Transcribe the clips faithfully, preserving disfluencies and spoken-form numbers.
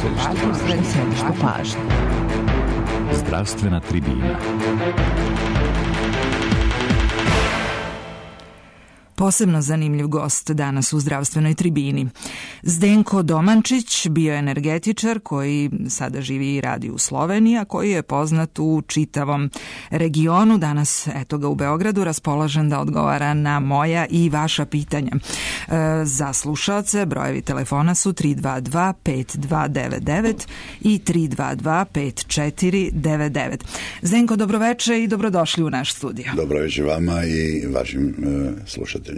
pažnju, središtu pažnje. Zdravstvena tribina. Posebno zanimljiv gost danas u zdravstvenoj tribini. Zdenko Domančić, bioenergetičar koji sada živi i radi u Sloveniji, a koji je poznat u čitavom regionu. Danas, eto ga u Beogradu, raspoložen da odgovara na moja i vaša pitanja. E, za slušaoce brojevi telefona su tri dva dva pet dva devet devet i tri dva dva pet četiri devet devet. Zdenko, dobroveče i dobrodošli u naš studio. Dobroveče vama i vašim e, slušateljima.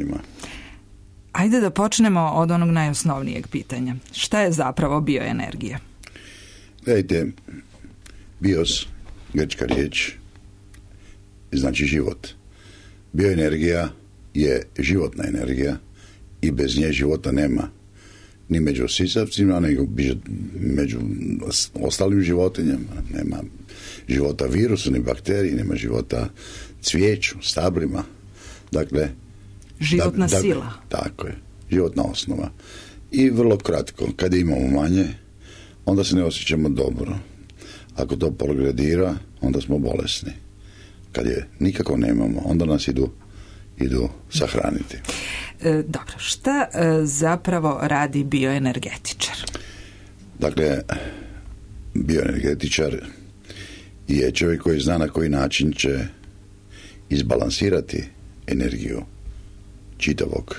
Ajde da počnemo od onog najosnovnijeg pitanja. Šta je zapravo bioenergija? Gledajte, bios, grčka riječ, znači život. Bioenergija je životna energija i bez nje života nema. Ni među sisavcima, nego među ostalim životinjama. Nema života virusu, ni bakteriji, nema života cvijeću, stablima. Dakle, životna da, da, sila. Tako je, životna osnova. I vrlo kratko, kad imamo manje, onda se ne osjećamo dobro. Ako to progredira, onda smo bolesni. Kad je nikako nemamo, onda nas idu, idu sahraniti. E, dobro, šta e, zapravo radi bioenergetičar? Dakle, bioenergetičar je čovjek koji zna na koji način će izbalansirati energiju čitavog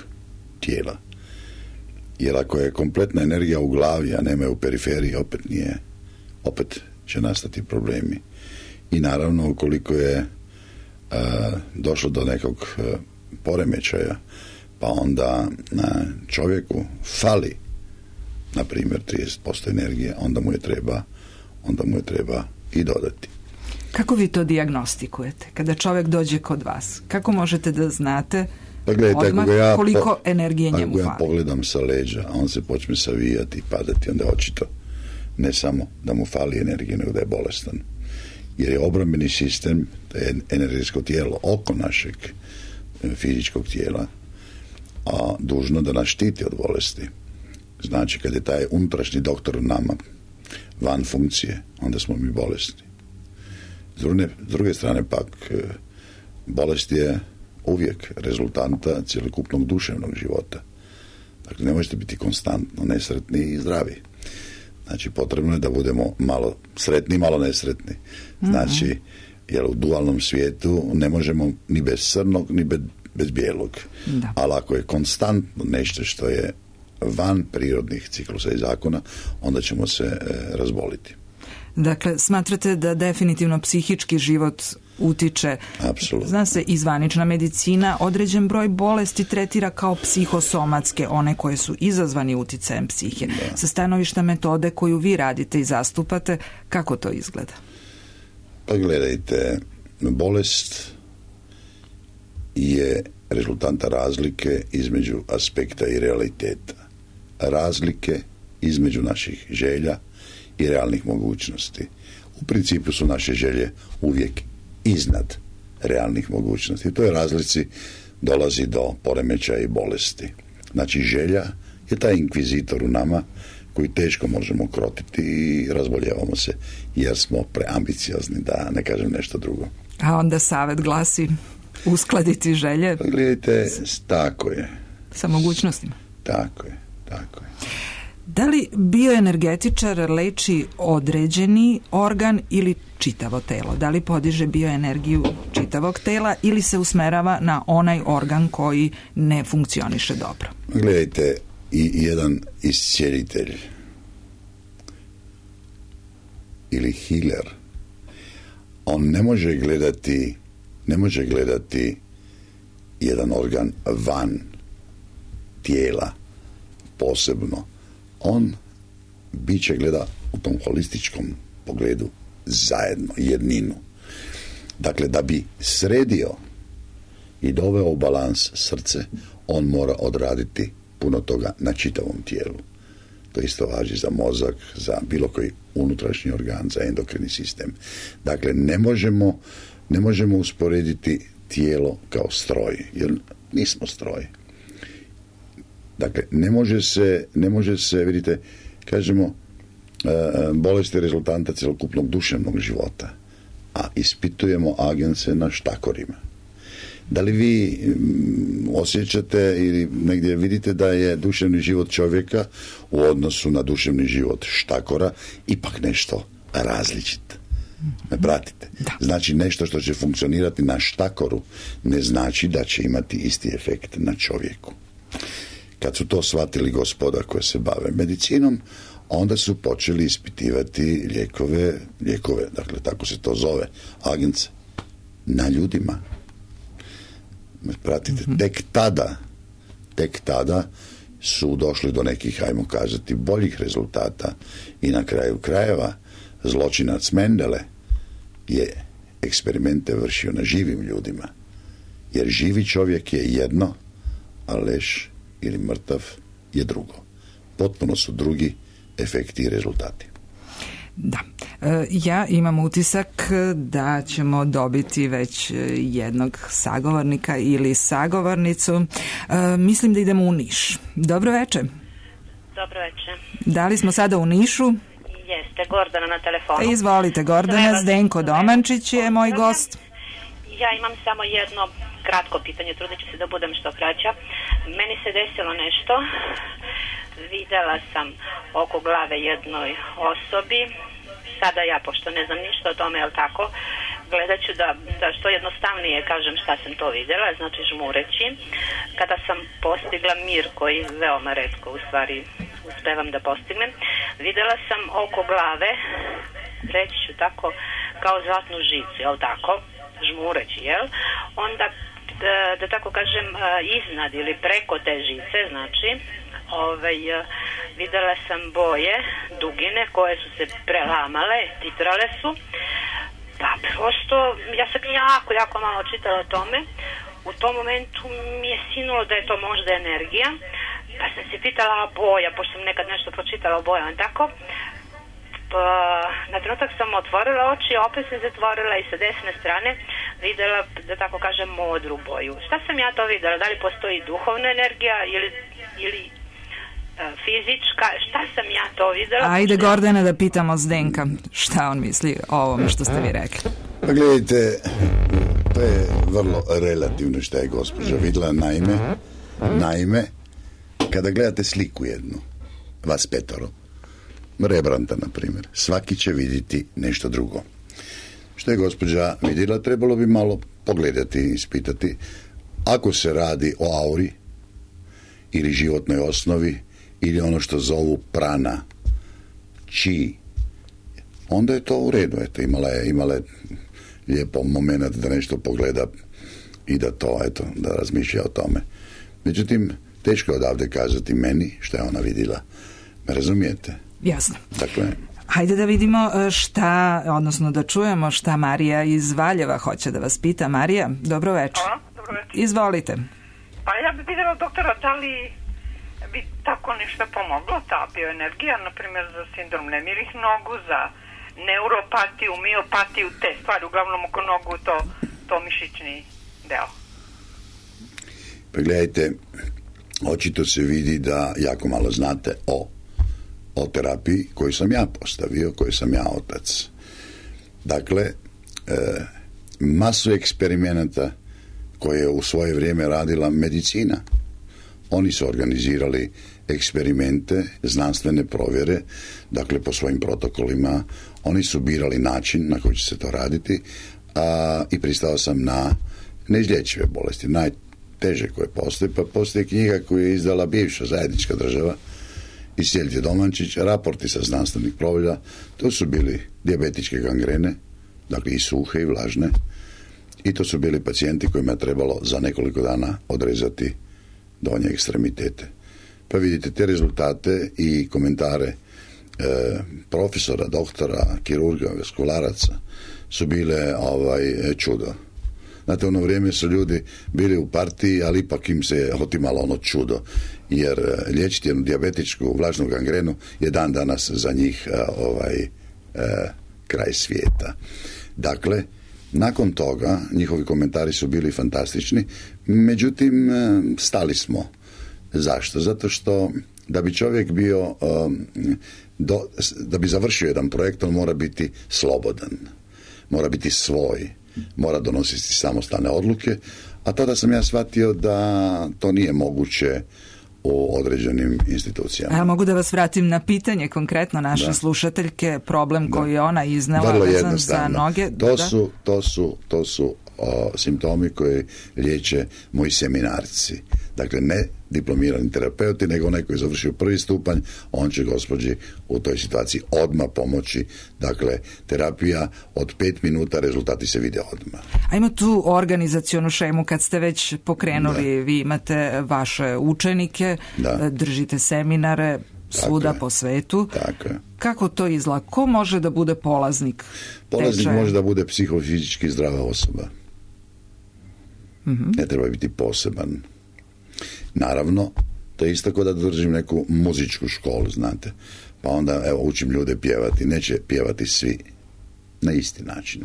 tijela. Jer ako je kompletna energija u glavi, a nema je u periferiji, opet nije, opet će nastati problemi. I naravno, ukoliko je a, došlo do nekog a, poremećaja, pa onda na čovjeku fali, na primjer, trideset posto energije, onda mu je treba, onda mu je treba i dodati. Kako vi to dijagnostikujete? Kada čovjek dođe kod vas, kako možete da znate pa gledajte, odmah ja, koliko energije njemu fali? Ako ja fali? pogledam sa leđa, a on se počne savijati i padati, onda je očito ne samo da mu fali energije, nego da je bolestan. Jer je obrambeni sistem, to je energetsko tijelo oko našeg fizičkog tijela, a dužno da nas štiti od bolesti. Znači, kad je taj unutrašnji doktor u nama van funkcije, onda smo mi bolesni. S druge, s druge strane pak, bolest je uvijek rezultanta cjelokupnog duševnog života. Dakle, ne možete biti konstantno nesretni i zdravi. Znači, potrebno je da budemo malo sretni, malo nesretni. Znači, mm-hmm. jer u dualnom svijetu ne možemo ni bez crnog, ni bez, bez bijelog. Da. Ali ako je konstantno nešto što je van prirodnih ciklusa i zakona, onda ćemo se e, razboliti. Dakle, smatrate da definitivno psihički život utiče? Apsolutno. Zna se, izvanična medicina određen broj bolesti tretira kao psihosomatske, one koje su izazvani uticajem psihe. Da. Sa stanovišta metode koju vi radite i zastupate, kako to izgleda? Pa gledajte, bolest je rezultanta razlike između aspekta i realiteta. Razlike između naših želja i realnih mogućnosti. U principu su naše želje uvijek iznad realnih mogućnosti. U toj razlici dolazi do poremećaja i bolesti. Znači, želja je taj inkvizitor u nama koji teško možemo krotiti i razboljevamo se jer smo preambiciozni, da ne kažem nešto drugo. A onda savjet glasi uskladiti želje? Pa gledajte, tako je. Sa mogućnostima? Tako je, tako je. Da li bioenergetičar leči određeni organ ili čitavo telo? Da li podiže bioenergiju čitavog tela ili se usmerava na onaj organ koji ne funkcioniše dobro? Gledajte, i jedan iscijelitelj ili healer, on ne može gledati ne može gledati jedan organ van tijela posebno. On biće gleda u tom holističkom pogledu zajedno, jedninu. Dakle, da bi sredio i doveo u balans srce, on mora odraditi puno toga na čitavom tijelu. To isto važi za mozak, za bilo koji unutrašnji organ, za endokrini sistem. Dakle, ne možemo, ne možemo usporediti tijelo kao stroj, jer nismo stroj. Dakle, ne može se, ne može se, vidite, kažemo, bolesti rezultanta cjelokupnog duševnog života, a ispitujemo agense na štakorima. Da li vi osjećate ili negdje vidite da je duševni život čovjeka u odnosu na duševni život štakora ipak nešto različit? Me pratite? Da. Znači nešto što će funkcionirati na štakoru ne znači da će imati isti efekt na čovjeku. Kad su to shvatili gospoda koje se bave medicinom, onda su počeli ispitivati lijekove, lijekove, dakle tako se to zove, agens, na ljudima. Me pratite? Mm-hmm. Tek tada, tek tada su došli do nekih, ajmo kazati, boljih rezultata i na kraju krajeva zločinac Mendele je eksperimente vršio na živim ljudima. Jer živi čovjek je jedno, a leš ili mrtav je drugo. Potpuno su drugi efekti i rezultati. Da. Ja imam utisak da ćemo dobiti već jednog sagovornika ili sagovornicu. Mislim da idemo u Niš. Dobro večer. Dobro večer. Da li smo sada u Nišu? Jeste, Gordana na telefonu. Izvolite, Gordana. Zdenko Domančić je moj gost. Ja imam samo jedno kratko pitanje, trudit ću se da budem što kraća. Meni se desilo nešto. Videla sam oko glave jednoj osobi. Sada ja, pošto ne znam ništa o tome, jel tako, gledat ću da, da što jednostavnije kažem šta sam to vidjela, znači žmureći. Kada sam postigla mir, koji veoma retko u stvari uspevam da postignem, vidjela sam oko glave, reći ću tako, kao zlatnu žicu, jel tako, žmureći, jel? Onda, da, da tako kažem, iznad ili preko te žice, znači, Ove, vidjela sam boje, dugine koje su se prelamale, titrale su, pa prosto ja sam jako, jako malo čitala o tome. U tom momentu mi je sinulo da je to možda energija, pa sam se pitala boja, pošto sam nekad nešto pročitala o bojama, tako. Pa, na trenutak sam otvorila oči, opet sam zatvorila i sa desne strane vidjela, da tako kažem, modru boju. Šta sam ja to vidjela? Da li postoji duhovna energija ili... ili fizička, šta sam ja to vidjela? Ajde, Gordana, da pitamo Zdenka šta on misli o ovome što ste vi rekli. Pa gledajte, to je vrlo relativno što je gospođa vidjela. Naime, naime, kada gledate sliku jednu, vas petoro, Rembrandta, na primjer, svaki će vidjeti nešto drugo. Što je gospođa vidjela, trebalo bi malo pogledati i ispitati. Ako se radi o auri ili životnoj osnovi, ili ono što zovu prana, chi, onda je to u redu. Eto, imala je, imala je lijepo moment da nešto pogleda i da to, eto, da razmišlja o tome. Međutim, teško je odavde kazati meni što je ona vidjela. Me razumijete? Jasno. Dakle, hajde da vidimo šta, odnosno da čujemo šta Marija iz Valjeva hoće da vas pita. Marija, dobro večer. Hvala, dobro večer. Izvolite. Pa ja bih vidjela, doktora, da li bi tako nešto pomoglo, ta bioenergija, na primjer za sindrom nemirih nogu, za neuropatiju, miopatiju, te stvari, uglavnom oko nogu, to, to mišićni deo. Pa gledajte, očito se vidi da jako malo znate o, o terapiji koju sam ja postavio, koju sam ja otac. Dakle, e, masu eksperimenata koje je u svoje vrijeme radila medicina. Oni su organizirali eksperimente, znanstvene provjere, dakle po svojim protokolima. Oni su birali način na koji će se to raditi, a, i pristao sam na neizlječive bolesti, najteže koje postoje. Pa postoji knjiga koju je izdala bivša zajednička država i Sjeljte Domančić, raporti sa znanstvenih provjera. To su bili dijabetičke gangrene, dakle i suhe i vlažne, i to su bili pacijenti kojima je trebalo za nekoliko dana odrezati donje ekstremitete. Pa vidite te rezultate i komentare e, profesora, doktora, kirurga, vaskularaca su bile ovaj, čudo. Znate, ono vrijeme su ljudi bili u partiji, ali ipak im se otimalo ono čudo, jer liječiti jednu dijabetičku vlažnu gangrenu je dan danas za njih ovaj, e, kraj svijeta. Dakle, nakon toga njihovi komentari su bili fantastični, međutim stali smo. Zašto? Zato što da bi čovjek bio, um, do, da bi završio jedan projekt, on mora biti slobodan, mora biti svoj, mora donositi samostalne odluke, a tada sam ja shvatio da to nije moguće u određenim institucijama. Ja mogu da vas vratim na pitanje konkretno naše da. slušateljke, problem da. koji je ona iznala vezan za noge. To da. su, to su, to su o, simptomi koji liječe moji seminarci. Dakle, ne diplomirani terapeuti, nego onaj koji je završio prvi stupanj, on će gospođi u toj situaciji odmah pomoći. Dakle, terapija od pet minuta, rezultati se vide odmah. A ima tu organizacionu šemu kad ste već pokrenuli, da. vi imate vaše učenike, da. držite seminare svuda tako po svetu. Tako je. Kako to izgleda? Ko može da bude polaznik? Polaznik tečaja? Može da bude psihofizički zdrava osoba. Mm-hmm. Ne treba biti poseban. Naravno, to je isto kao da držim neku muzičku školu, znate. Pa onda, evo, učim ljude pjevati. Neće pjevati svi na isti način.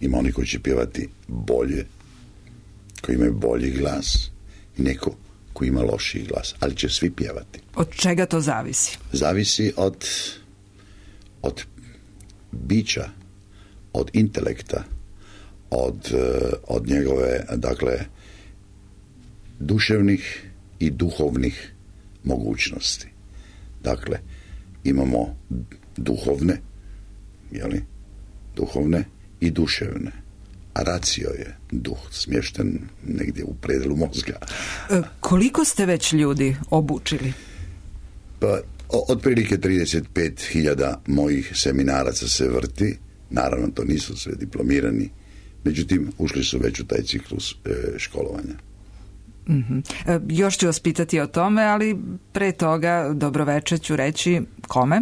Ima oni koji će pjevati bolje, koji imaju bolji glas, i neko koji ima lošiji glas, ali će svi pjevati. Od čega to zavisi? Zavisi od, od bića, od intelekta, od, od njegove, dakle, duševnih i duhovnih mogućnosti. Dakle, imamo duhovne, jeli, duhovne i duševne. A racio je duh smješten negdje u predelu mozga. E, koliko ste već ljudi obučili? Pa, otprilike trideset pet hiljada mojih seminaraca se vrti. Naravno, to nisu sve diplomirani. Međutim, ušli su već u taj ciklus e, školovanja. Mm-hmm. E, još ću vas pitati o tome, ali pre toga dobroveče ću reći kome?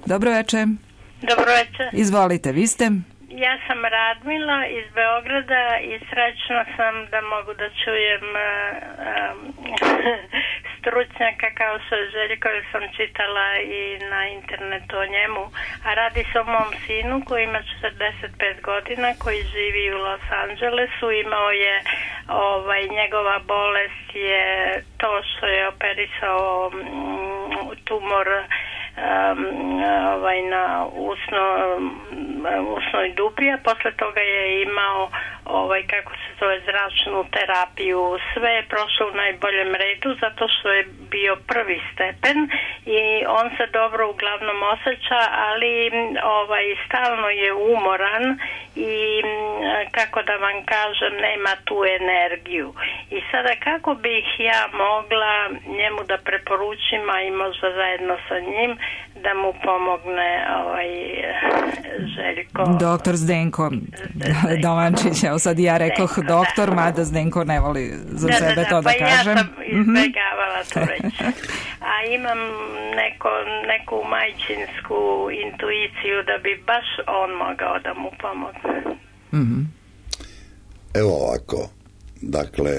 Dobroveče. Dobroveče. Izvolite, vi ste? Ja sam Radmila iz Beograda i srećna sam da mogu da čujem uh, um, stručnjaka kao što je Željko, jer sam čitala i na internetu o njemu. A radi se o mom sinu koji ima četrdeset pet godina, koji živi u Los Angelesu. Imao je, ovaj, njegova bolest je to što je operisao um, tumor Um, ovaj, na usno, um, usnoj dupi, a posle toga je imao ovaj, kako se zove, zračnu terapiju. Sve je prošlo u najboljem redu zato što je bio prvi stepen i on se dobro uglavnom osjeća, ali ovaj, stalno je umoran i kako da vam kažem, nema tu energiju. I sada kako bih ja mogla njemu da preporučim, a i možda zajedno sa njim, da mu pomogne ovaj Željko. Doktor Zdenko Domančić, evo sad ja rekoh Zdenko, doktor, da. Mada Zdenko ne voli za da, sebe da, da, to da pa kažem. Ja sam izbjegavala to reći. A imam neko, neku majčinsku intuiciju da bi baš on mogao da mu pomogne. Mm-hmm. Evo ovako, dakle,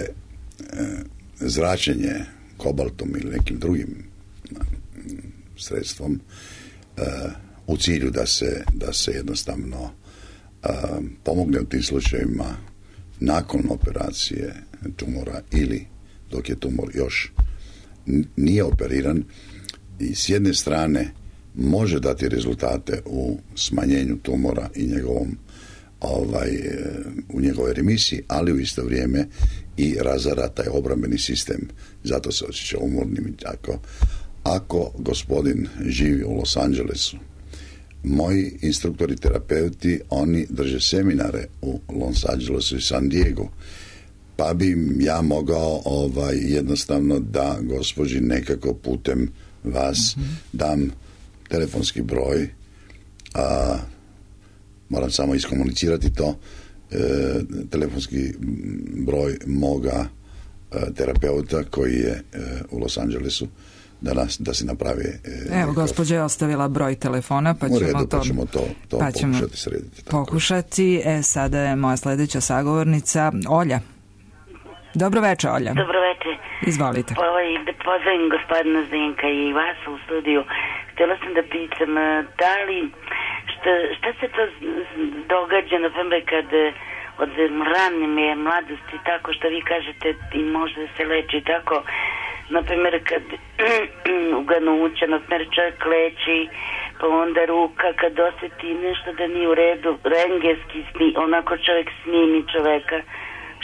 zračenje kobaltom ili nekim drugim sredstvom uh, u cilju da se, da se jednostavno uh, pomogne u tim slučajevima nakon operacije tumora ili dok je tumor još nije operiran, i s jedne strane može dati rezultate u smanjenju tumora i njegovom ovaj, u njegove remisiji, ali u isto vrijeme i razara taj obrambeni sistem, zato se osjeća umornim i tako. Ako gospodin živi u Los Angelesu, moji instruktori terapeuti, oni drže seminare u Los Angelesu i San Diego, pa bi ja mogao ovaj, jednostavno da gospođi nekako putem vas mm-hmm. dam telefonski broj, a moram samo iskomunicirati to, e, telefonski broj moga e, terapeuta koji je e, u Los Angelesu, da, nas, da se napravi... E, Evo, gospođa je ostavila broj telefona, pa ćemo, redu, to, pa ćemo to, to pa ćemo pokušati srediti. Tako. Pokušati. E, sada je moja sljedeća sagovornica, Olja. Dobro večer, Olja. Dobro večer. Izvolite. Ovaj, da pozdravim gospodina Zdenka i vas u studiju. Htjela sam da pitam, da li, šta, šta se to događa, na primjer, kad od rane mladosti, tako što vi kažete i može da se leči, tako, na primjer kad u ganuća, na primjer čovjek leči, pa onda ruka kad osjeti nešto da nije u redu, rengenski sni, onako čovjek snimi čovjeka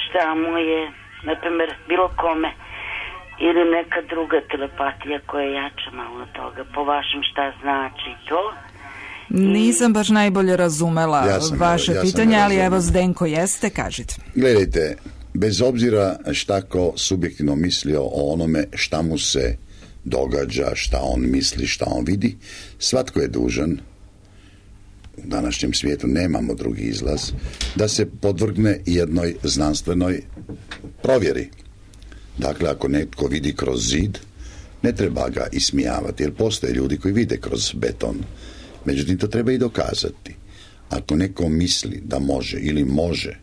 šta mu je, na primjer bilo kome, ili neka druga telepatija koja je jača malo od toga, po vašem šta znači to? Nisam baš najbolje razumela ja sam, vaše ja pitanje, ali razumela. evo Zdenko jeste, kažite. Gledajte, bez obzira šta ko subjektivno mislio o onome šta mu se događa, šta on misli, šta on vidi, svatko je dužan, u današnjem svijetu nemamo drugi izlaz, da se podvrgne jednoj znanstvenoj provjeri. Dakle, ako netko vidi kroz zid, ne treba ga ismijavati, jer postoje ljudi koji vide kroz beton. Međutim, to treba i dokazati. Ako neko misli da može ili može,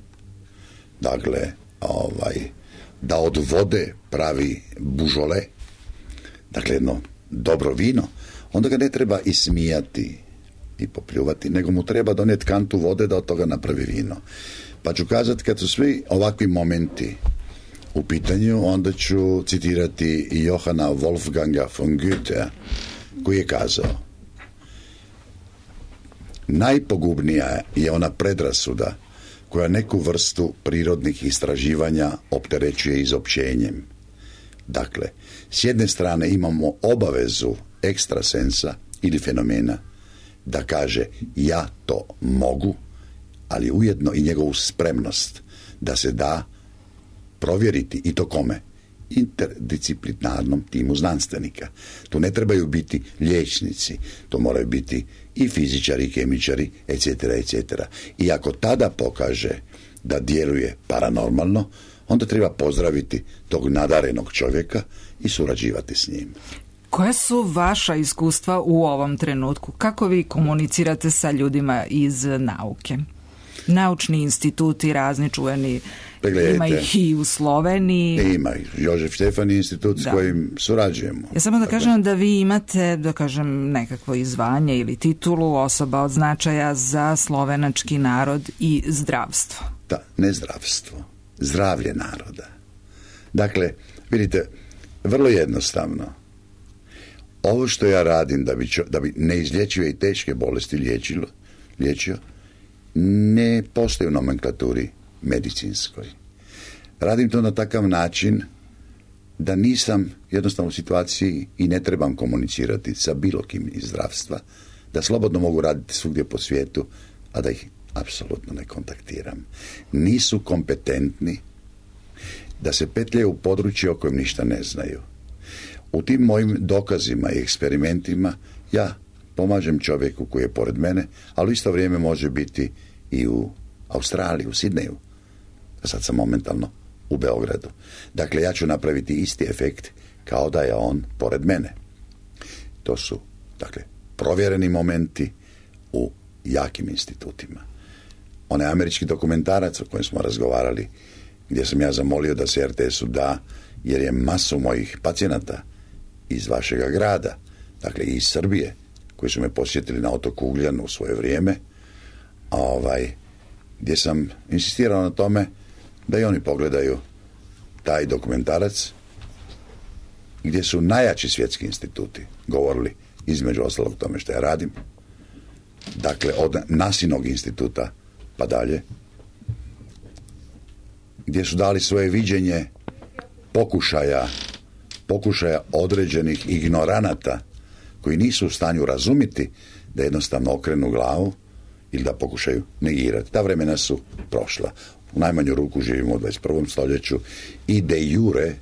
dakle, ovaj, da od vode pravi bužole, dakle jedno dobro vino, onda ga ne treba ismijati i popljuvati, nego mu treba donijeti kantu vode da od toga napravi vino. Pa ću kazati, kad su svi ovakvi momenti u pitanju, onda ću citirati Johana Wolfganga von Goethea, koji je kazao: najpogubnija je ona predrasuda koja neku vrstu prirodnih istraživanja opterećuje izopćenjem. Dakle, s jedne strane imamo obavezu ekstrasensa ili fenomena da kaže ja to mogu, ali ujedno i njegovu spremnost da se da provjeriti, i to kome? Interdisciplinarnom timu znanstvenika. Tu ne trebaju biti liječnici, to moraju biti i fizičari, i kemičari, et cetera, et cetera. I ako tada pokaže da djeluje paranormalno, onda treba pozdraviti tog nadarenog čovjeka i surađivati s njim. Koje su vaša iskustva u ovom trenutku? Kako vi komunicirate sa ljudima iz nauke? Naučni instituti, razni čuveni, Pregledajte. Ima ih i u Sloveniji. Ima ih. Jožef Štefani institut da. S kojim surađujemo. Ja samo da Tako. kažem da vi imate, da kažem, nekakvo izvanje ili titulu osoba od značaja za slovenački narod i zdravstvo. Da, ne zdravstvo. Zdravlje naroda. Dakle, vidite, vrlo jednostavno. Ovo što ja radim da bi, čo, da bi neizlječive i teške bolesti liječilo, liječio, ne postoji u nomenklaturi medicinskoj. Radim to na takav način da nisam jednostavno u situaciji i ne trebam komunicirati sa bilo kim iz zdravstva, da slobodno mogu raditi svugdje po svijetu, a da ih apsolutno ne kontaktiram. Nisu kompetentni da se petljaju u područje o kojem ništa ne znaju. U tim mojim dokazima i eksperimentima ja pomažem čovjeku koji je pored mene, ali u isto vrijeme može biti i u Australiji, u Sidneju. A sad sam momentalno u Beogradu. Dakle, ja ću napraviti isti efekt kao da je on pored mene. To su, dakle, provjereni momenti u jakim institutima. Onaj američki dokumentarac o kojem smo razgovarali, gdje sam ja zamolio da se er te esu da, jer je masu mojih pacijenata iz vašega grada, dakle i iz Srbije, koji su me posjetili na otoku Ugljanu u svoje vrijeme, ovaj, gdje sam insistirao na tome da i oni pogledaju taj dokumentarac, gdje su najjači svjetski instituti govorili između ostalog tome što ja radim, dakle od Nasinog instituta pa dalje, gdje su dali svoje viđenje pokušaja pokušaja određenih ignoranata koji nisu u stanju razumjeti da jednostavno okrenu glavu ili da pokušaju negirati. Ta vremena su prošla. U najmanju ruku živimo u dvadeset prvom stoljeću i de jure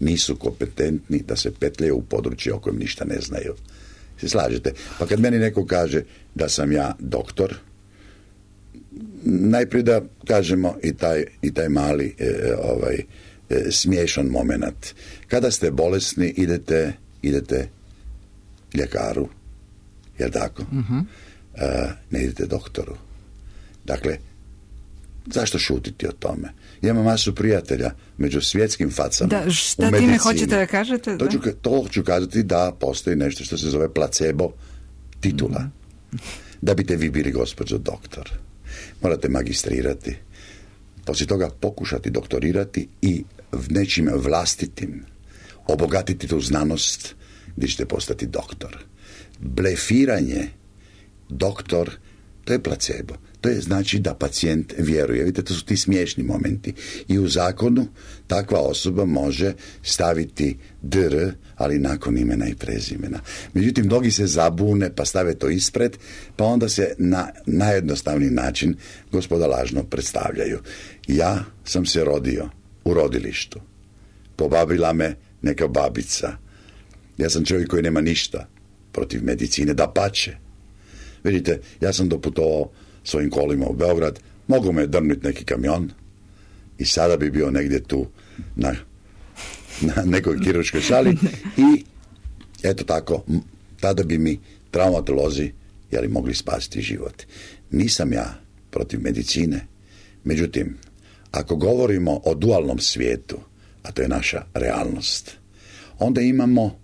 nisu kompetentni da se petljaju u područje o kojem ništa ne znaju. Se slažete? Pa kad meni neko kaže da sam ja doktor, najprije da kažemo i taj, i taj mali e, ovaj, e, smiješan moment. Kada ste bolesni, idete, idete ljekaru, jel tako? Uh-huh. E, ne idete doktoru. Dakle, zašto šutiti o tome? Ja imam masu prijatelja među svjetskim facama da, šta time hoćete da kažete? To ću, to ću kazati da postoji nešto što se zove placebo titula. Mm. Da biste vi bili gospođo doktor, morate magistrirati, poslije toga pokušati doktorirati i nečim vlastitim obogatiti tu znanost gdje ćete postati doktor. Blefiranje, doktor, to je placebo. To je znači da pacijent vjeruje. Vidite, to su ti smiješni momenti. I u zakonu takva osoba može staviti dr, ali nakon imena i prezimena. Međutim, mnogi se zabune pa stave to ispred, pa onda se na najjednostavniji način gospoda lažno predstavljaju. Ja sam se rodio u rodilištu. Pobabila me neka babica. Ja sam čovjek koji nema ništa protiv medicine, dapače. Vidite, ja sam doputovao svojim kolima u Beograd, mogu me drnuti neki kamion i sada bi bio negdje tu na, na nekoj kirurškoj sali i eto tako, tada bi mi traumatolozi jeli mogli spasiti život. Nisam ja protiv medicine, međutim, ako govorimo o dualnom svijetu, a to je naša realnost, onda imamo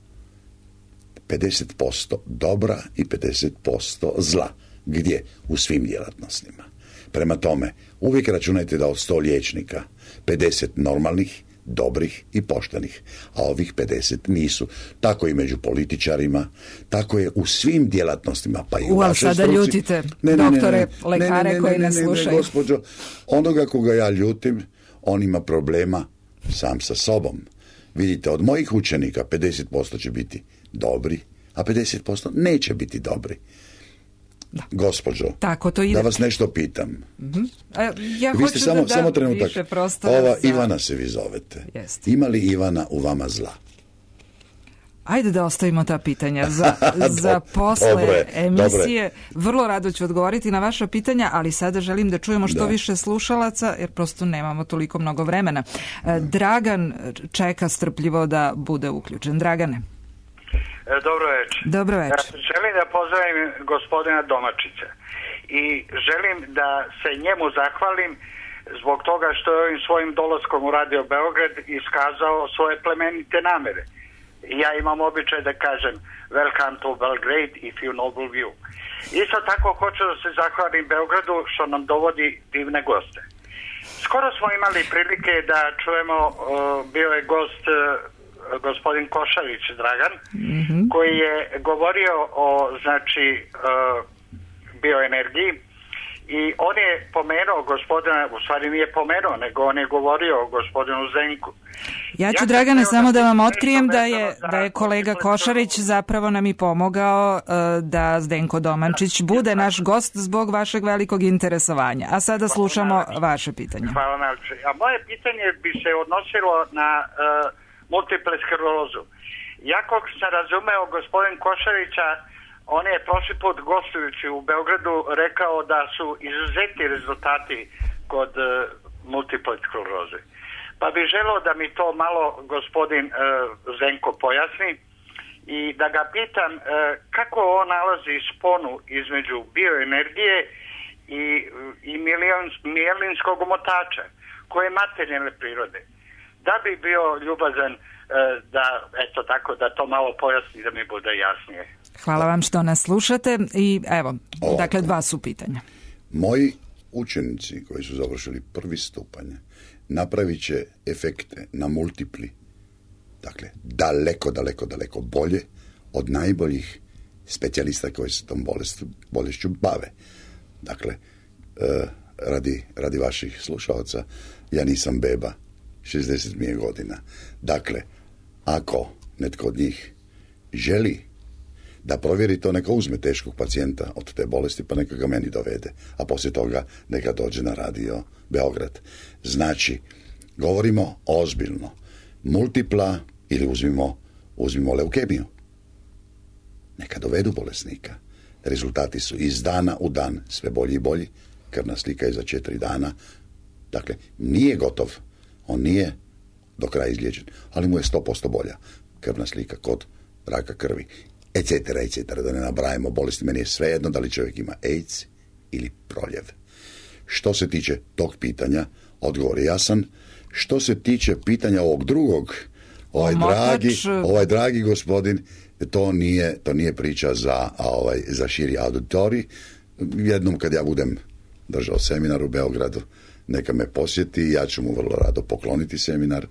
pedeset posto dobra i pedeset posto zla. Gdje? U svim djelatnostima. Prema tome, uvijek računajte da od sto liječnika pedeset normalnih, dobrih i poštenih, a ovih pedeset nisu. Tako i među političarima, tako je u svim djelatnostima, pa i u U, vašoj sada struci. ljutite Ne, ne, ne, doktore, ne, ne, lekare ne, ne, koji ne, nas ne, ne, slušaju. Ne, gospođo, onoga koga ja ljutim, on ima problema sam sa sobom. Vidite, od mojih učenika pedeset posto će biti dobri, a pedeset posto neće biti dobri. Da. Gospođo, tako to ide. Da vas nešto pitam. Mm-hmm. A ja vi ste hoću samo, da samo dam trenutak. više prostora Ova za... Ivana se vi zovete. Jest. Ima li Ivana u vama zla? Ajde da ostavimo ta pitanja za, za posle dobre, emisije. dobre. Vrlo rado ću odgovoriti na vaša pitanja, ali sada želim da čujemo što da. više slušalaca, jer prosto nemamo toliko mnogo vremena. Da. Dragan čeka strpljivo da bude uključen. Dragane. Dobro večer. Dobro večer. Želim da pozdravim gospodina Domačića i želim da se njemu zahvalim zbog toga što je ovim svojim dolaskom u Radio Beograd iskazao svoje plemenite namere. Ja imam običaj da kažem welcome to Belgrade if you noble view. Isto tako hoću da se zahvalim Beogradu što nam dovodi divne goste. Skoro smo imali prilike da čujemo, uh, bio je gost uh, gospodin Košarić Dragan, mm-hmm. koji je govorio o znači uh, bioenergiji i on je pomenuo gospodina, u stvari nije pomenuo, nego on je govorio o gospodinu Zdenku. Ja ću, ja Dragane, samo da vam otkrijem da je, da je kolega Košarić zapravo nam i pomogao uh, da Zdenko Domančić bude naš gost zbog vašeg velikog interesovanja. A sada slušamo vaše pitanje. Hvala najlepše. A moje pitanje bi se odnosilo na uh, multiple sklerozu. Ja koliko sam razumeo gospodin Košarića, on je prošli put gostujući u Beogradu rekao da su izuzeti rezultati kod uh, multiple skleroze. Pa bih želeo da mi to malo gospodin uh, Zdenko pojasni i da ga pitam uh, kako on nalazi sponu između bioenergije i, i milion, mijelinskog omotača koje je materijalne prirode. Da bi bio ljubazan uh, da, eto tako, da to malo pojasni da mi bude jasnije. Hvala vam što nas slušate i evo, Ovako. Dakle, dva su pitanja. Moji učenici koji su završili prvi stupanj napravit će efekte na multipli, dakle, daleko, daleko, daleko bolje od najboljih specijalista koji se tom bolest, bolešću bave. Dakle, eh, radi, radi vaših slušalaca, ja nisam beba, šezdeset mi je godina. Dakle, ako netko od njih želi da provjeri to, neka uzme teškog pacijenta od te bolesti, pa neka ga meni dovede, a poslije toga neka dođe na Radio Beograd. Znači, govorimo ozbiljno. Multipla, ili uzmimo, uzmimo leukemiju. Neka dovedu bolesnika. Rezultati su iz dana u dan sve bolji i bolji. Krvna slika je za četiri dana. Dakle, nije gotov. On nije do kraja izliječen, ali mu je sto posto bolja krvna slika kod raka krvi. Etc, etc, da ne nabrajamo bolesti. Meni je svejedno da li čovjek ima AIDS ili proljev. Što se tiče tog pitanja, odgovor je jasan. Što se tiče pitanja ovog drugog, ovaj dragi, ovaj dragi gospodin, to nije, to nije priča za, ovaj, za širi auditorij. Jednom kad ja budem držao seminar u Beogradu, neka me posjeti, ja ću mu vrlo rado pokloniti seminar,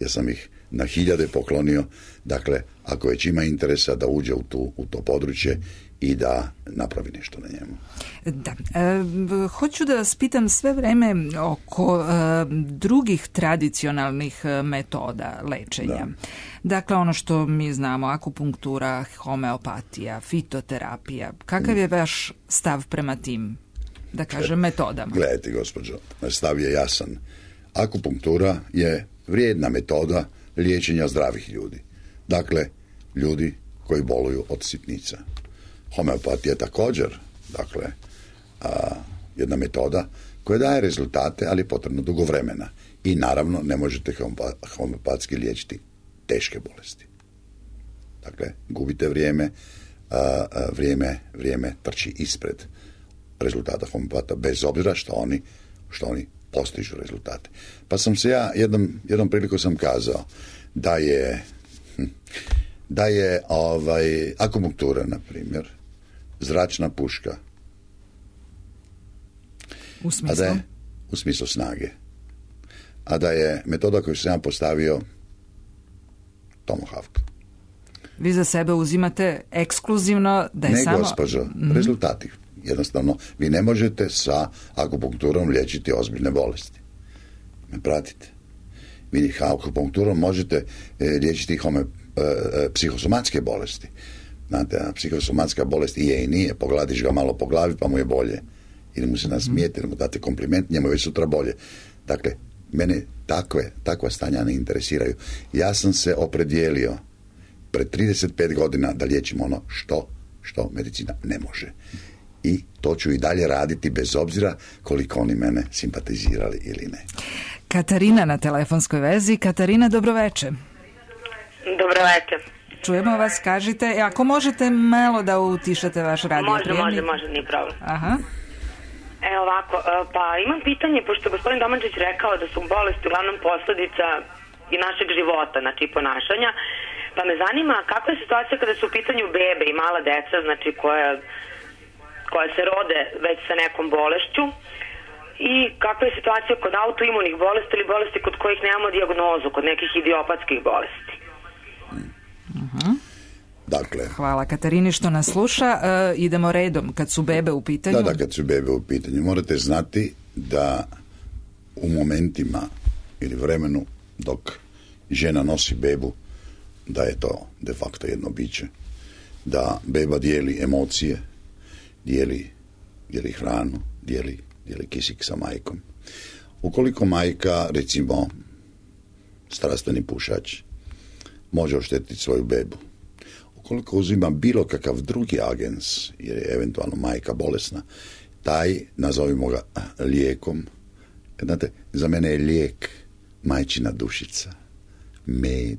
jer sam ih na hiljade poklonio. Dakle, ako već ima interesa da uđe u, tu, u to područje i da napravi nešto na njemu. Da. E, hoću da vas pitam sve vreme oko e, drugih tradicionalnih metoda lečenja. Da. Dakle, ono što mi znamo, akupunktura, homeopatija, fitoterapija. Kakav je vaš stav prema tim, da kažem, metodama? Gledajte, gospođo, stav je jasan. Akupunktura je vrijedna metoda liječenja zdravih ljudi. Dakle, ljudi koji boluju od sitnica. Homeopatija je također, dakle, a, jedna metoda koja daje rezultate, ali je potrebno dugo vremena. I naravno ne možete homeopatski liječiti teške bolesti. Dakle, gubite vrijeme, a, a, vrijeme, vrijeme trči ispred rezultata homeopata, bez obzira što oni, što oni postižu rezultate. Pa sam se ja, jednom, jednom priliku sam kazao da je da je ovaj, akupunktura, na primjer, zračna puška. U smislu? A da je, u smislu snage. A da je metoda koju sam ja postavio Tomahawk. Vi za sebe uzimate ekskluzivno da je ne, samo... Ne, gospođo, mm. rezultati. Jednostavno, vi ne možete sa akupunkturom liječiti ozbiljne bolesti. Me pratite. Vi akupunkturom možete e, liječiti home, e, e, psihosomatske bolesti. Znate, a psihosomatska bolest i je i nije. Pogladiš ga malo po glavi pa mu je bolje. Ili mu se nasmijete, ili mu date kompliment, njemu je već sutra bolje. Dakle, mene takve, takva stanja ne interesiraju. Ja sam se opredijelio pred trideset pet godina da liječim ono što, što medicina ne može. I to ću i dalje raditi bez obzira koliko oni mene simpatizirali ili ne. Katarina na telefonskoj vezi. Katarina, dobroveče. Dobroveče. Čujemo vas, kažite. E, ako možete malo da utišate vaš radio može, prijemnik. Može, može, nije problem. Aha. E, ovako, pa imam pitanje, pošto gospodin Domančić rekao da su bolesti uglavnom posljedica i našeg života, znači i ponašanja, pa me zanima kakva je situacija kada su u pitanju bebe i mala deca, znači koja, koja se rode već sa nekom bolešću, i kakva je situacija kod autoimunih bolesti ili bolesti kod kojih nemamo dijagnozu, kod nekih idiopatskih bolesti. Uh-huh. Dakle, hvala Katarini što nas sluša. E, idemo redom, kad su bebe u pitanju. Da, da, kad su bebe u pitanju. Morate znati da u momentima ili vremenu dok žena nosi bebu, da je to de facto jedno biće. Da beba dijeli emocije, dijeli, dijeli hranu, dijeli, dijeli kisik sa majkom. Ukoliko majka, recimo, strastveni pušač, može oštetiti svoju bebu. Ukoliko uzima bilo kakav drugi agens, jer je eventualno majka bolesna, taj, nazovimo ga lijekom, znate, za mene je lijek majčina dušica, med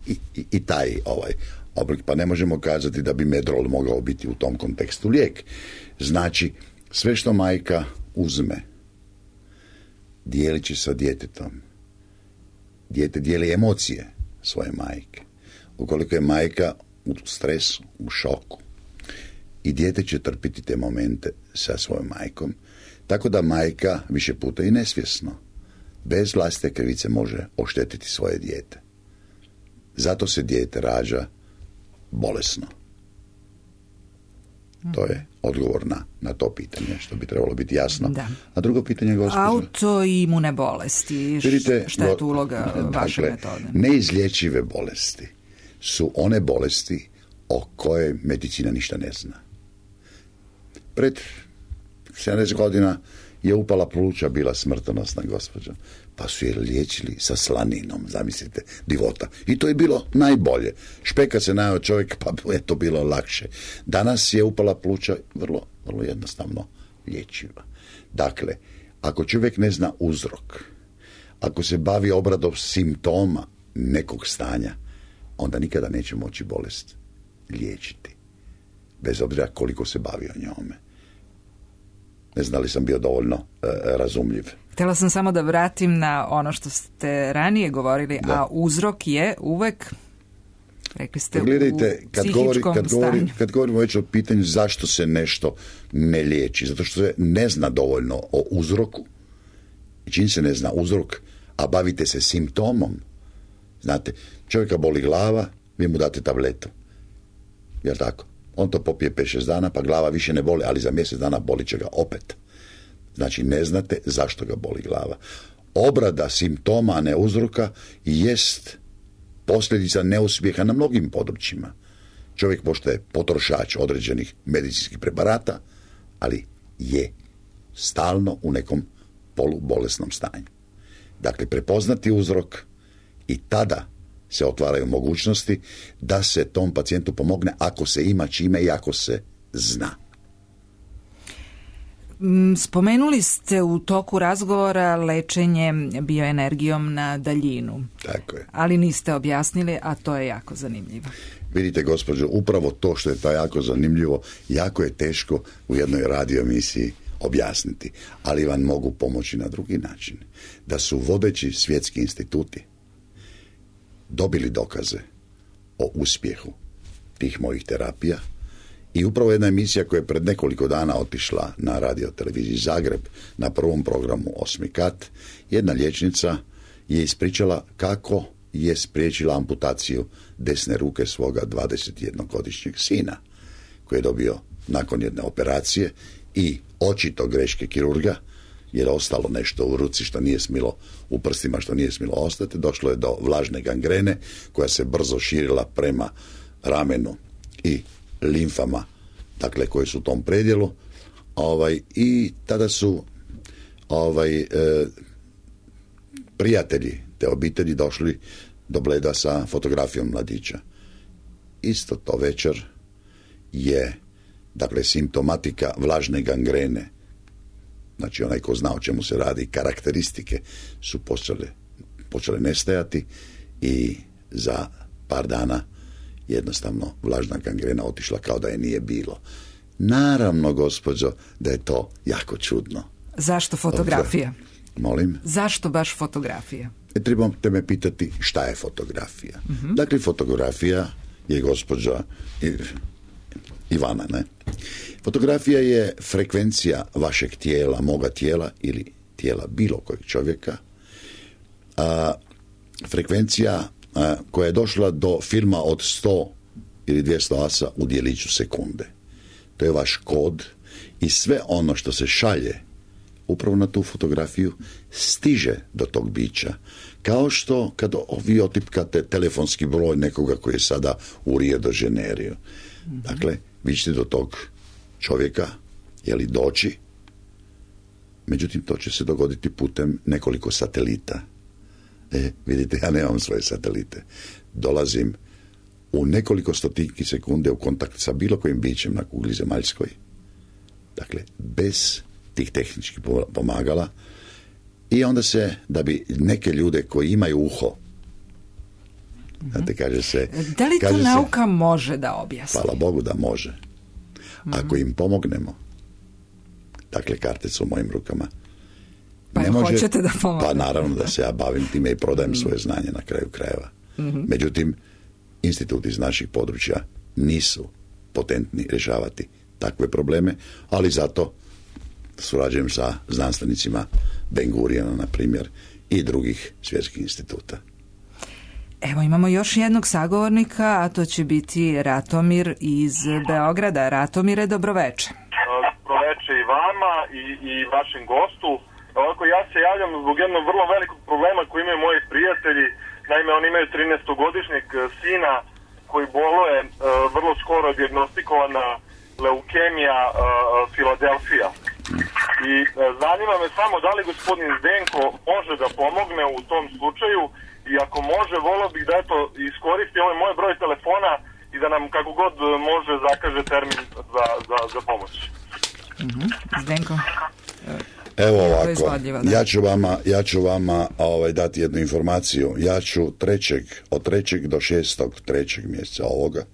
i, i, i taj ovaj oblik, pa ne možemo kazati da bi medrol mogao biti u tom kontekstu lijek. Znači, sve što majka uzme, dijelit će sa djetetom. Dijete dijeli emocije svoje majke. Ukoliko je majka u stresu, u šoku, i dijete će trpiti te momente sa svojom majkom, tako da majka više puta i nesvjesno, bez vlastite krivice, može oštetiti svoje dijete. Zato se dijete rađa bolesno. To je odgovor na, na to pitanje, što bi trebalo biti jasno. Da. A drugo pitanje, gospođo? Autoimune bolesti. Vidite, šta je tu uloga vaše dakle, metode? Neizlječive bolesti su one bolesti o koje medicina ništa ne zna. Pred sedamdeset godina je upala pluća bila smrtonosna, gospođo, pa su je liječili sa slaninom, zamislite, divota. I to je bilo najbolje. Špeka se najao čovjek, pa je to bilo lakše. Danas je upala pluća vrlo, vrlo jednostavno liječiva. Dakle, ako čovjek ne zna uzrok, ako se bavi obradom simptoma nekog stanja, onda nikada neće moći bolest liječiti. Bez obzira koliko se bavio njome. Ne znam li sam bio dovoljno e, razumljiv. Htjela sam samo da vratim na ono što ste ranije govorili, da. A uzrok je uvek, rekli ste, gledajte, u kad psihičkom govori, kad stanju. govori, kad govorimo već o pitanju zašto se nešto ne liječi, zato što se ne zna dovoljno o uzroku, čim se ne zna uzrok, a bavite se simptomom, Znate, čovjeka boli glava, vi mu date tabletu. Jel tako? On to popije pet šest dana, pa glava više ne boli, ali za mjesec dana boli će ga opet. Znači, ne znate zašto ga boli glava. Obrada simptoma, a ne uzroka, jest posljedica neuspjeha na mnogim područjima. Čovjek postaje potrošač određenih medicinskih preparata, ali je stalno u nekom polubolesnom stanju. Dakle, prepoznati uzrok i tada se otvaraju mogućnosti da se tom pacijentu pomogne ako se ima čime i ako se zna. Spomenuli ste u toku razgovora lečenje bioenergijom na daljinu. Tako je. Ali niste objasnili, a to je jako zanimljivo. Vidite, gospođo, upravo to što je to jako zanimljivo, jako je teško u jednoj radio emisiji objasniti, ali vam mogu pomoći na drugi način. Da su vodeći svjetski instituti dobili dokaze o uspjehu tih mojih terapija i upravo jedna emisija koja je pred nekoliko dana otišla na radio televiziji Zagreb na prvom programu Osmi kat, jedna liječnica je ispričala kako je spriječila amputaciju desne ruke svoga dvadesetjednogodišnjeg sina koji je dobio nakon jedne operacije i očito greške kirurga, jer je ostalo nešto u ruci što nije smilo, u prstima što nije smilo ostati, došlo je do vlažne gangrene koja se brzo širila prema ramenu i limfama, dakle koji su u tom predjelu, ovaj, i tada su ovaj, e, prijatelji te obitelji došli do Bleda sa fotografijom mladića. Isto to večer je, dakle, simptomatika vlažne gangrene, znači onaj ko zna o čemu se radi, karakteristike su počele, počele nestajati i za par dana jednostavno vlažna gangrena otišla kao da je nije bilo. Naravno, gospođo, da je to jako čudno. Zašto fotografija? Molim? Zašto baš fotografija? E, trebate me pitati šta je fotografija. Uh-huh. Dakle, fotografija je, gospođa Ivana, ne? Fotografija je frekvencija vašeg tijela, moga tijela ili tijela bilo kojeg čovjeka. A, frekvencija a, koja je došla do filma od sto ili dvjesto asa u djeliću sekunde. To je vaš kod i sve ono što se šalje upravo na tu fotografiju stiže do tog bića. Kao što kad vi otipkate telefonski broj nekoga koji je sada u Rio de Janeiro. Mm-hmm. Dakle, vi ćete do tog čovjeka, je li doći, međutim to će se dogoditi putem nekoliko satelita. E, vidite, ja nemam svoje satelite. Dolazim u nekoliko stotinki sekunde u kontakt sa bilo kojim bićem na kugli zemaljskoj. Dakle, bez tih tehničkih pomagala. I onda se, da bi neke ljude koji imaju uho, znate, kaže se... Da li to kaže nauka se, može da objasni? Hvala Bogu da može. Ako im pomognemo, dakle, karte su u mojim rukama. Pa ne može, hoćete da pomognemo? Pa naravno da se ja bavim time i prodajem svoje znanje na kraju krajeva. Mm-hmm. Međutim, instituti iz naših područja nisu potentni rješavati takve probleme, ali zato surađujem sa znanstvenicima Ben Guriona, na primjer, i drugih svjetskih instituta. Evo, imamo još jednog sagovornika, a to će biti Ratomir iz Beograda. Ratomire, dobroveče. Dobroveče i vama i, i vašem gostu. Ovako, ja se javljam zbog jednog vrlo velikog problema koji imaju moji prijatelji. Naime, oni imaju trinaestogodišnjeg sina koji boluje, uh, vrlo skoro dijagnostikovana leukemija uh, Filadelfija. I uh, zanima me samo da li gospodin Zdenko može da pomogne u tom slučaju, i ako može, volio bih da eto iskoristi ovaj moj broj telefona i da nam kako god može zakaže termin za, za, za pomoć. Mm-hmm. Zdenko? Evo ovako, ja ću vama, ja ću vama ovaj, dati jednu informaciju. Ja ću trećeg, od trećeg do šestog trećeg mjeseca ovoga,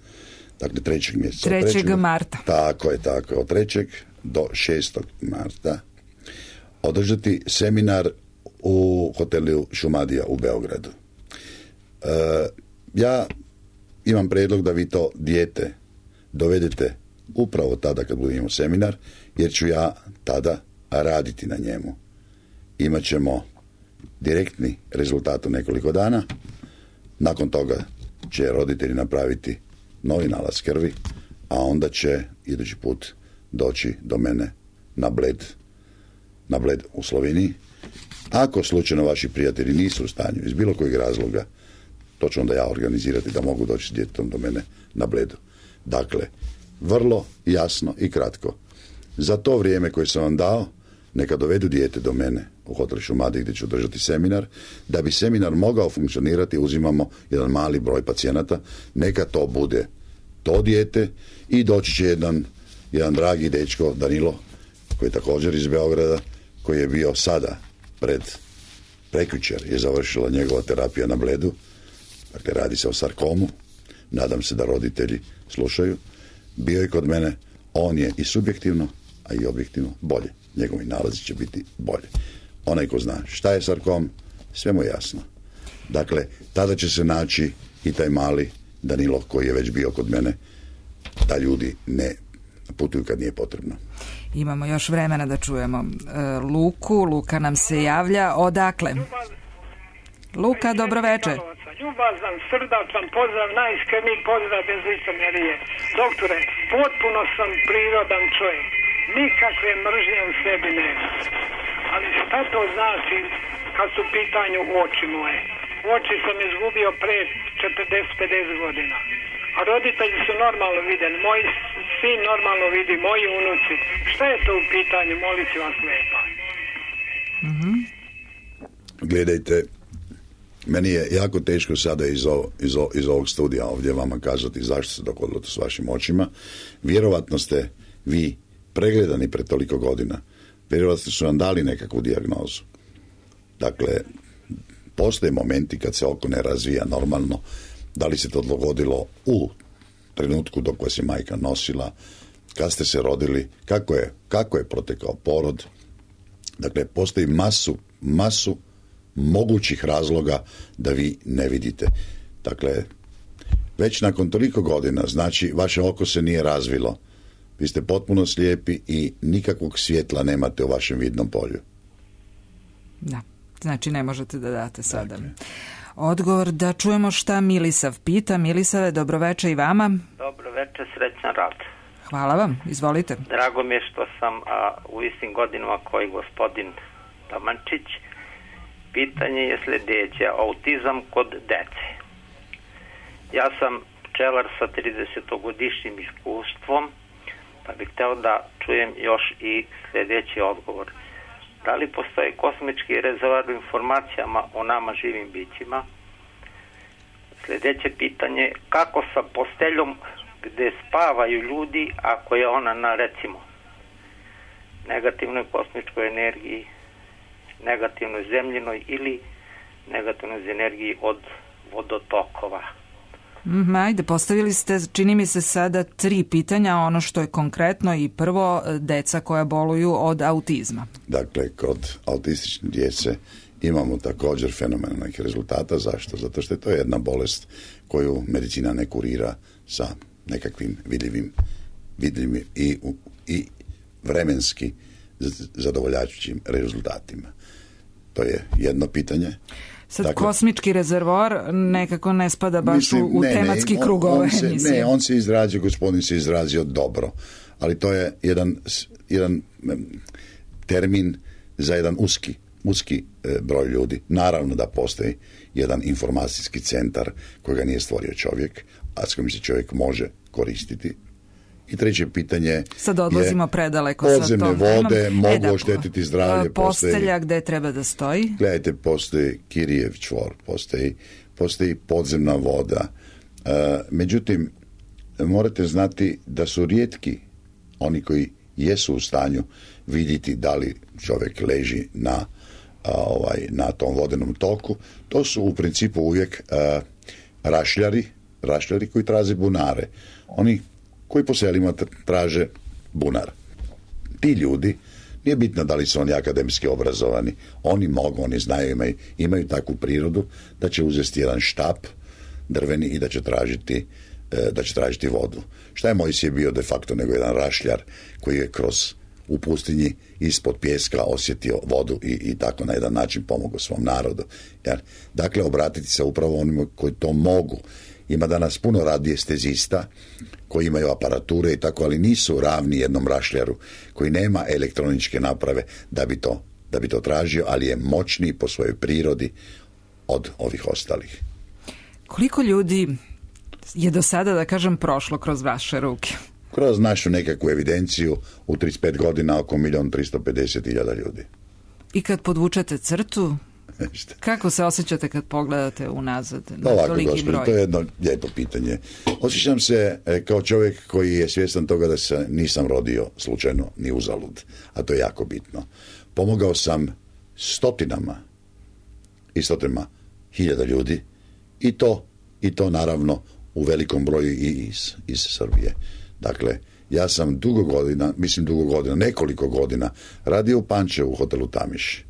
dakle trećeg mjeseca. trećeg marta. Tako je, tako je. Od trećeg do šestog marta održati seminar u hotelu Šumadija u Beogradu. E, ja imam prijedlog da vi to dijete dovedete upravo tada kad budemo seminar, jer ću ja tada raditi na njemu. Imaćemo direktni rezultat u nekoliko dana Nakon toga će roditelji napraviti novi nalaz krvi, a onda će idući put doći do mene na Bled, na Bled u Sloveniji. Ako slučajno vaši prijatelji nisu u stanju iz bilo kojeg razloga, to ću onda ja organizirati da mogu doći s djetetom do mene na Bledu. Dakle, vrlo jasno i kratko. Za to vrijeme koje sam vam dao, neka dovedu dijete do mene u hotel Šumadija gdje ću držati seminar. Da bi seminar mogao funkcionirati, uzimamo jedan mali broj pacijenata. Neka to bude to dijete i doći će jedan, jedan dragi dečko, Danilo, koji je također iz Beograda, koji je bio sada pred prekjučer je završila njegova terapija na Bledu. Dakle, radi se o sarkomu. Nadam se da roditelji slušaju. Bio je kod mene. On je i subjektivno, a i objektivno bolje. Njegovi nalazi će biti bolje. Onaj ko zna šta je sarkom, sve mu je jasno. Dakle, tada će se naći i taj mali Danilo koji je već bio kod mene, da ljudi ne putuju kad nije potrebno. Imamo još vremena da čujemo e, Luku. Luka nam se javlja. Odakle? Luka, dobro večer. Ljubazan, srdačan pozdrav, najiskreniji pozdrav bez licemerije. Doktore, potpuno sam prirodan čovjek. Nikakve mržnje u sebi nema. Ali šta to znači kad su u pitanju oči moje? Oči sam izgubio pre četrdeset do pedeset godina. A roditelji su normalno vidjeli. Moji sin normalno vidi, moji unuci. Šta je to u pitanju? Molit ću vas lijepa. Mm-hmm. Gledajte, meni je jako teško sada iz, ovo, iz, ovo, iz ovog studija ovdje vama kazati zašto se dogodilo to s vašim očima. Vjerovatno ste vi pregledani pred toliko godina. Vjerovatno su vam dali nekakvu dijagnozu. Dakle, postoje momenti kad se oko ne razvija normalno. Da li se to dogodilo u trenutku dok vas je majka nosila, kad ste se rodili, kako je, kako je protekao porod. Dakle, postoji masu, masu mogućih razloga da vi ne vidite. Dakle, već nakon toliko godina, znači, vaše oko se nije razvilo. Vi ste potpuno slijepi i nikakvog svjetla nemate u vašem vidnom polju. Da, znači ne možete da date sada. Dakle. Odgovor da čujemo šta Milisav pita. Milisave, dobroveče i vama. Dobroveče, srećan rad. Hvala vam, izvolite. Drago mi je što sam a, u istim godinama koji gospodin Tamančić. Pitanje je sljedeće, autizam kod dece. Ja sam pčelar sa tridesetogodišnjim iskustvom, pa bih hteo da čujem još i sljedeći odgovor. Da li postoji kosmički rezervoar u informacijama o nama živim bićima? Sljedeće pitanje, kako sa posteljom gde spavaju ljudi ako je ona na, recimo, negativnoj kosmičkoj energiji, negativnoj zemljinoj ili negativnoj energiji od vodotokova? Mm, ajde, postavili ste, čini mi se sada tri pitanja, ono što je konkretno i prvo, deca koja boluju od autizma. Dakle, kod autistične djece imamo također fenomenalnih rezultata. Zašto? Zato što je to jedna bolest koju medicina ne kurira sa nekakvim vidljivim, vidljivim i, i vremenski zadovoljajućim rezultatima. To je jedno pitanje. Sad, dakle, kosmički rezervoar nekako ne spada baš mislim, u, u ne, tematski ne, krug ove emisije. Ne, on se izrazio, gospodin se izrazio dobro, ali to je jedan, jedan termin za jedan uski, uski broj ljudi. Naravno da postoji jedan informacijski centar kojega nije stvorio čovjek, a s kojim se čovjek može koristiti. I treće pitanje sad odlazimo je predaleko podzemne sa tom vode temom. mogu e, da, oštetiti zdravlje. Postelja postoji, gde treba da stoji? Gledajte, postoji Kirijev čvor, postoji, postoji podzemna voda. E, međutim, morate znati da su rijetki oni koji jesu u stanju vidjeti da li čovjek leži na, a, ovaj, na tom vodenom toku. To su u principu uvijek a, rašljari, rašljari koji traže bunare. Oni koji po selima traže bunar. Ti ljudi, nije bitno da li su oni akademski obrazovani, oni mogu, oni znaju, imaju, imaju takvu prirodu da će uzeti jedan štap drveni i da će tražiti, da će tražiti vodu. Šta je Mojsije bio de facto nego jedan rašljar koji je kroz u pustinji ispod pjeska osjetio vodu i, i tako na jedan način pomogao svom narodu. Jer, dakle, obratiti se upravo onima koji to mogu. Ima danas puno radiestezista koji imaju aparature i tako, ali nisu ravni jednom rašljaru koji nema elektroničke naprave da bi to, da bi to tražio, ali je moćniji po svojoj prirodi od ovih ostalih. Koliko ljudi je do sada, da kažem, prošlo kroz vaše ruke? Kroz našu nekakvu evidenciju u trideset pet godina oko milijon tristo pedeset hiljada ljudi. I kad podvučete crtu, kako se osjećate kad pogledate unazad na Ovako, toliki gospodin, broj? to je jedno lijepo pitanje. Osjećam se e, kao čovjek koji je svjestan toga da se nisam rodio slučajno ni uzalud, a to je jako bitno. Pomogao sam stotinama i stotinama hiljada ljudi i to, i to naravno u velikom broju i iz, iz Srbije. Dakle, ja sam dugo godina, mislim dugo godina, nekoliko godina radio u Pančevu u hotelu Tamiš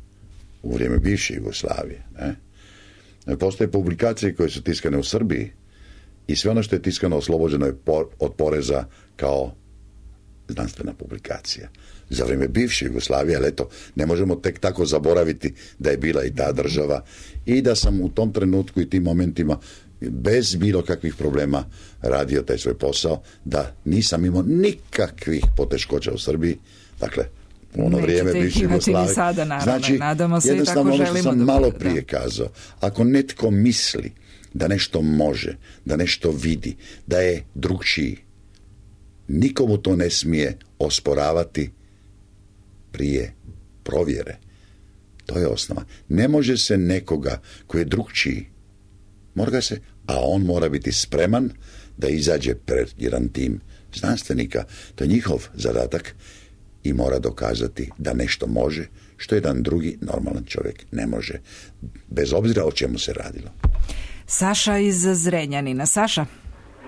u vrijeme bivše Jugoslavije. Ne? Postoje publikacije koje su tiskane u Srbiji i sve ono što je tiskano oslobođeno je od poreza kao znanstvena publikacija. Za vrijeme bivše Jugoslavije, ali eto, ne možemo tek tako zaboraviti da je bila i ta država i da sam u tom trenutku i tim momentima bez bilo kakvih problema radio taj svoj posao, da nisam imao nikakvih poteškoća u Srbiji. Dakle, u ono Nećete vrijeme bivše Jugoslavije. Sada, naravno. Znači, Nadamo se jednostavno i tako ono što želimo sam da malo bude, prije da. kazao. Ako netko misli da nešto može, da nešto vidi, da je drugčiji, nikomu to ne smije osporavati prije provjere. To je osnova. Ne može se nekoga koji je drugčiji, mora ga se, a on mora biti spreman da izađe pred jedan tim znanstvenika. To je njihov zadatak i mora dokazati da nešto može, što jedan drugi normalan čovjek ne može. Bez obzira o čemu se radilo. Saša iz Zrenjanina. Saša?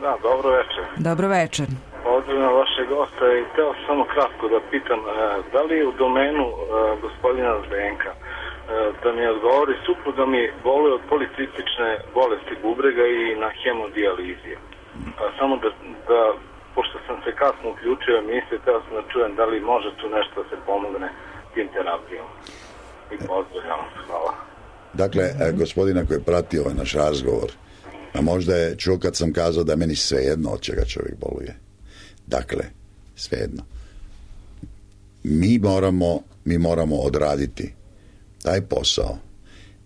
Da, dobro večer. Dobro večer. Pozdravljam vašeg gosta i htio samo kratko da pitam, da li je u domenu gospodina Zdenka da mi odgovori, supruga mi boluje od policistične bolesti bubrega i na hemodijalizi. Samo da, da, pošto sam se kasno uključio emisiju, htio sam da čujem da li može tu nešto da se pomogne tim terapijom. I pozdravljam, hvala. Dakle, gospodina koji je pratio ovaj naš razgovor, a možda je čuo kad sam kazao da meni svejedno od čega čovjek boluje. Dakle, svejedno. Mi moramo, mi moramo odraditi taj posao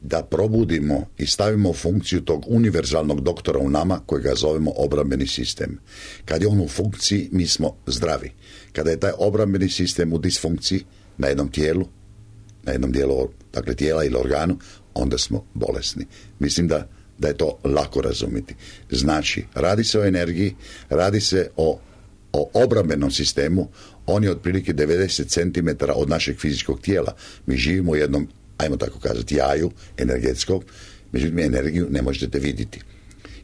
da probudimo i stavimo funkciju tog univerzalnog doktora u nama kojega zovemo obrambeni sistem. Kad je on u funkciji, mi smo zdravi. Kada je taj obrambeni sistem u disfunkciji na jednom tijelu, na jednom dijelu dakle, tijela ili organu, onda smo bolesni. Mislim da, da je to lako razumjeti. Znači, radi se o energiji, radi se o, o obrambenom sistemu, on je otprilike devedeset centimetara od našeg fizičkog tijela. Mi živimo u jednom, ajmo tako kazati, jaju energetskog, međutim energiju ne možete vidjeti.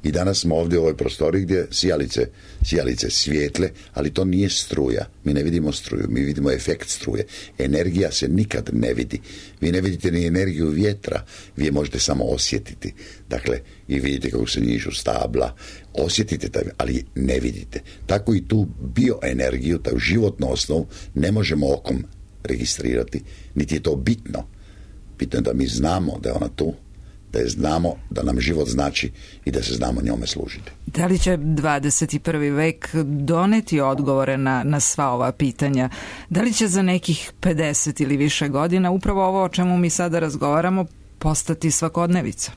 I danas smo ovdje u ovoj prostoriji gdje sijalice, sijalice svijetle, ali to nije struja. Mi ne vidimo struju, mi vidimo efekt struje. Energija se nikad ne vidi. Vi ne vidite ni energiju vjetra, vi je možete samo osjetiti. Dakle, i vidite kako se njižu stabla, osjetite taj, ali ne vidite. Tako i tu bioenergiju, taj životnu osnovu, ne možemo okom registrirati, niti je to bitno. Bitno je da mi znamo da je ona tu, da je znamo da nam život znači i da se znamo njome služiti. Da li će dvadeset prvi vek doneti odgovore na, na sva ova pitanja? Da li će za nekih pedeset ili više godina upravo ovo o čemu mi sada razgovaramo postati svakodnevica?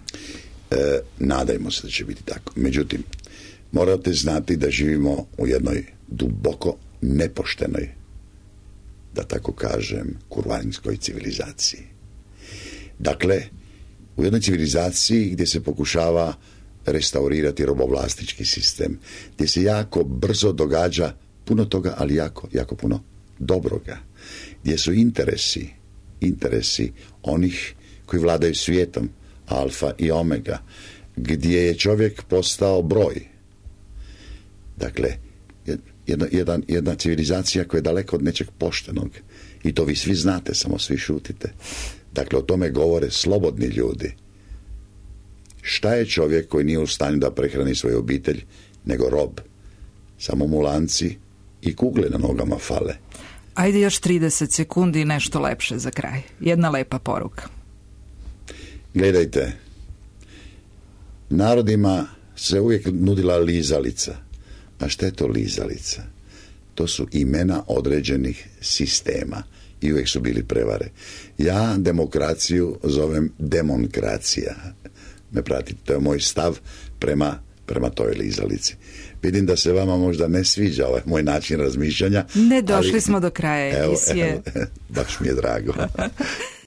E, nadajmo se da će biti tako. Međutim, morate znati da živimo u jednoj duboko nepoštenoj, da tako kažem, kurvanskoj civilizaciji. Dakle, u jednoj civilizaciji gdje se pokušava restaurirati robovlastički sistem, gdje se jako brzo događa puno toga, ali jako, jako puno dobroga, gdje su interesi, interesi onih koji vladaju svijetom, alfa i omega, gdje je čovjek postao broj. Dakle, jedna, jedan, jedna civilizacija koja je daleko od nečeg poštenog, i to vi svi znate, samo svi šutite. Dakle, o tome govore slobodni ljudi. Šta je čovjek koji nije u stanju da prehrani svoju obitelj, nego rob? Samo mu lanci i kugle na nogama fale. Ajde još trideset sekundi i nešto lepše za kraj. Jedna lepa poruka. Gledajte, narodima se uvijek nudila lizalica. A šta je to lizalica? To su imena određenih sistema i uvijek su bili prevare. Ja demokraciju zovem demonkracija. Me pratite, to je moj stav prema, prema toj lizalici. Vidim da se vama možda ne sviđa ovaj moj način razmišljanja. Ne, došli ali, smo do kraja emisije. Evo, evo, baš mi je drago.